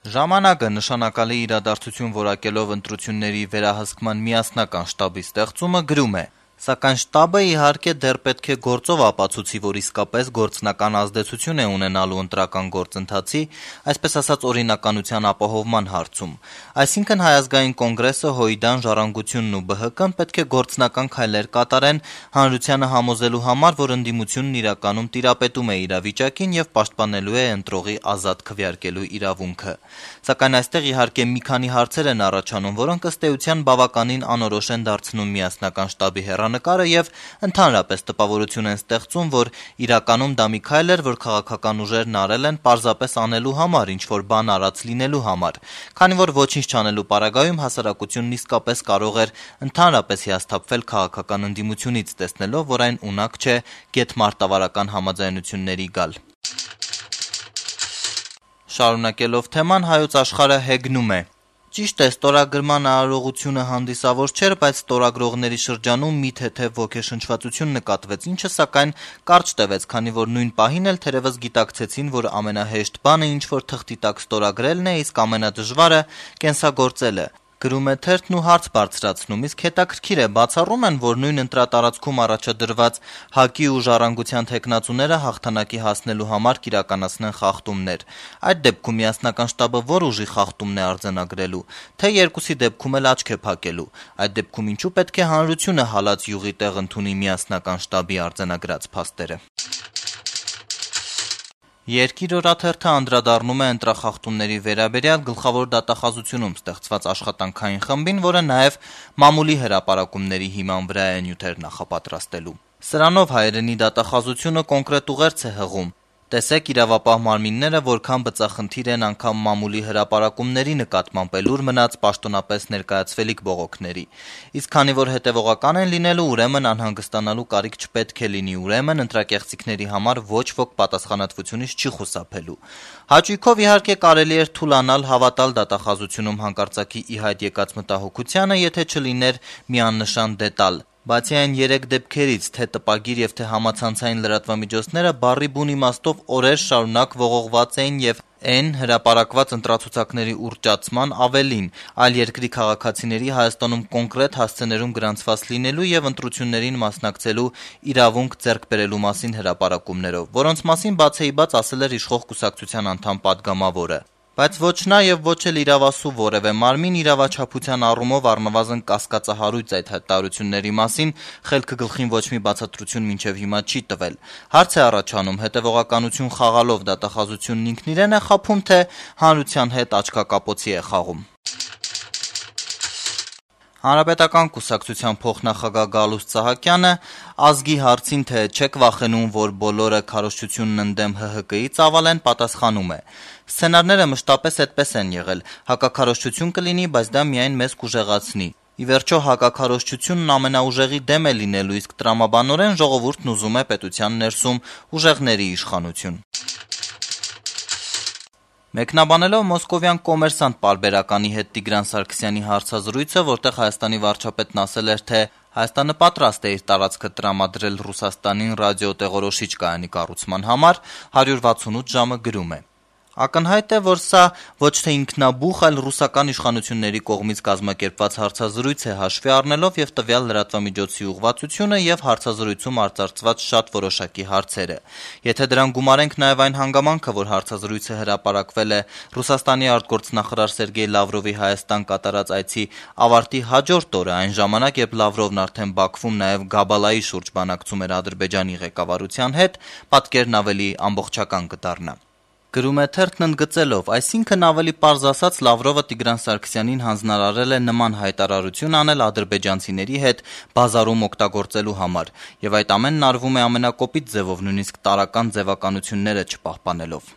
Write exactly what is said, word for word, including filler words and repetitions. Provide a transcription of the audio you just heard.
Ժամանակը նշանակալի իրադարձություն որակելով ընտրությունների վերահսկման միասնական շտաբի ստեղծումը գրում է. Սակայն շտաբը իհարկե դեռ պետք է գործով ապացուցի, որ իսկապես գործնական ազդեցություն է ունենալու ընտրական գործընթացի, այսպես ասած օրինականության ապահովման հարցում։ Այսինքն Հայ ազգային կոնգրեսը, ՀՅԴ-ն, Ժառանգությունն ու Բ Հ Կ-ն պետք է գործնական քայլեր կատարեն հանրությանը համոզելու համար, որ ընդդիմությունն իրականում տիրապետում է իրավիճակին եւ պաշտպանելու է ընտրողի ազատ քվեարկելու իրավունքը։ Սակայն այստեղ իհարկե մի քանի հարցեր են առաջանում, որոնք ըստ էության բավականին անորոշ են դարձնում միասնական շտաբի հեռանկարը եւ ընդհանրապես տպավորություն են ստեղծում, որ իրականում դա մի քայլ էր, որ քաղաքական ուժերն արել են պարզապես անելու համար, ինչ որ բան արած լինելու համար, քանի որ ոչինչ չանելու պարագայում հասարակությունն իսկապես կարող էր ընդհանրապես հիասթափվել քաղաքական ընդդիմությունից, տեսնելով, որ այն ունակ չէ գեթմարտավարական համաձայնությունների գալ։ Շարունակելով թեման, Հայոց աշխարհը հեգնում է. Ճիշտ է, ստորագրման արարողությունը հանդիսավոր չէր, բայց ստորագրողների շրջանում մի թեթև ոգեշնչվածություն նկատվեց, ինչը սակայն կարճ տևեց, քանի որ նույն պահին էլ թերևս գիտակցեցին, որ ամենահեշտ բանը ինչ որ թղթի տակ ստորագրելն է, իսկ ամենադժվարը կենսագործելը։ Գրում է թերթն ու հարց բարձրացնում, իսկ հետաքրքիր է, բացառում են, որ նույն ընտրատարածքում առաջադրված ՀԱԿ-ի ու Ժառանգության թեկնածուները հաղթանակի հասնելու համար կիրականացնեն խախտումներ։ Այդ դեպքում միասնական շտաբը որ ուժի խախտումն է արձանագրելու, թե երկուսի դեպքում էլ աչք է փակելու։ Այդ դեպքում ինչու պետք է հանրությունը հալած յուղի տեղ ընդունի միասնական շտաբի արձանագրած փաստերը։ Երկիր օրաթերթը անդրադառնում է ընտրախախտումների վերաբերյալ գլխավոր դատախազությունում ստեղծված աշխատանքային խմբին, որը նաև մամուլի հրապարակումների հիման վրա է նյութեր նախապատրաստելու։ Սրանով հայերենի դատախազությունը կոնկրետ ուղերձ է հղում։ Տեսեք իրավապահ մարմինները որքան բծախնդիր են անգամ մամուլի հրապարակումների նկատմամբ էլուր մնաց պաշտոնապես ներկայացվելիք բողոքների։ Իսկ քանի որ հետևողական են լինելու, ուրեմն անհանգստանալու կարիք չպետք է լինի, ուրեմն ընտրակեղծիքների համար ոչ ոք պատասխանատվությունից չի խուսափելու։ Հաճույքով իհարկե կարելի էր թուլանալ, հավատալ դատախազությունում հանկարծակի ի հայտ եկած մտահոգությանը, եթե չլիներ մի աննշան դետալ։ Բացի այն երեք դեպքերից, թե տպագիր եւ թե համացանցային լրատվամիջոցները բառի բուն իմաստով օրեր շարունակ ողողված էին եւ այն հրապարակված ընտրացուցակների ուռճացման ավելին, այլ երկրի քաղաքացիների Հայաստանում կոնկրետ հասցեներում գրանցված լինելու եւ ընտրություններին մասնակցելու իրավունք ձեռք բերելու մասին հրապարակումներով, որոնց մասին բացեիբաց ասել էր իշխող կուսակցության անդամ պատգամավորը։ Բայց ոչ նա եւ ոչ էլ իրավասու որևէ մարմին իրավաչափության առումով առնվազն կասկածահարույց այդ հայտարարությունների մասին խելքը գլխին ոչ մի բացատրություն մինչեւ հիմա չի տվել։ Հարց է առաջանում, հետեւողականություն խաղալով դատախազությունն ինքն իրեն է խաբում, թե հանրության հետ աչքակապոցի է խաղում։ Հանրապետական կուսակցության փոխնախագահ Գալուստ Սահակյանը ազգի հարցին, թե չեք վախենում, որ բոլորը քարոզչությունն ընդդեմ Հ Հ Կ-ի ծավալեն, պատասխանում է. Սցենարները մշտապես այդպես են եղել, հակաքարոզչություն կլինի, բայց դա միայն մեզ կուժեղացնի։ Ի վերջո հակաքարոզչությունն ամենաուժեղի դեմ է լինելու, իսկ տրամաբանորեն ժողովուրդն ուզում է պետության ներսում ուժեղների իշխանություն։ Մեկնաբանելով մոսկովյան կոմերսանտ պարբերականի հետ Տիգրան Սարգսյանի հարցազրույցը, որտեղ Հայաստանի վարչապետն ասել էր, թե Հայաստանը պատրաստ է իր տարածքը տրամադրել Ռուսաստանին ռադիոտեղորոշիչ կայանի կառուցման համար, հարյուր վաթսունութ ժամը գրում է. Ակնհայտ է, որ սա ոչ թե ինքնաբուխ, այլ ռուսական իշխանությունների կողմից կազմակերպված հարցազրույց է հաշվի առնելով եւ տվյալ լրատվամիջոցի ուղղվածությունը եւ հարցազրույցում արծարծված շատ որոշակի հարցերը։ Եթե դրան գումարենք նաեւ այն հանգամանքը, որ հարցազրույցը հրապարակվել է Ռուսաստանի արտգործնախարար Սերգեյ Լավրովի Հայաստան կատարած այցի ավարտի հաջորդ օրը, այն ժամանակ, երբ Լավրովն արդեն Բաքվում նաեւ Գաբալայի շուրջ բանակցում էր Ադրբեջանի ղեկավարության հետ, պատկերն ավելի ամբողջական կդառնա։ Գրում է թերթն ընդգծելով, այսինքն ավելի պարզ ասած Լավրովը Տիգրան Սարգսյանին հանձնարարել է նման հայտարարություն անել ադրբեջանցիների հետ բազարում օգտագործելու համար, եւ այդ ամենն արվում է ամենակոպիտ ձևով, նույնիսկ տարրական ձևականությունները չպահպանելով։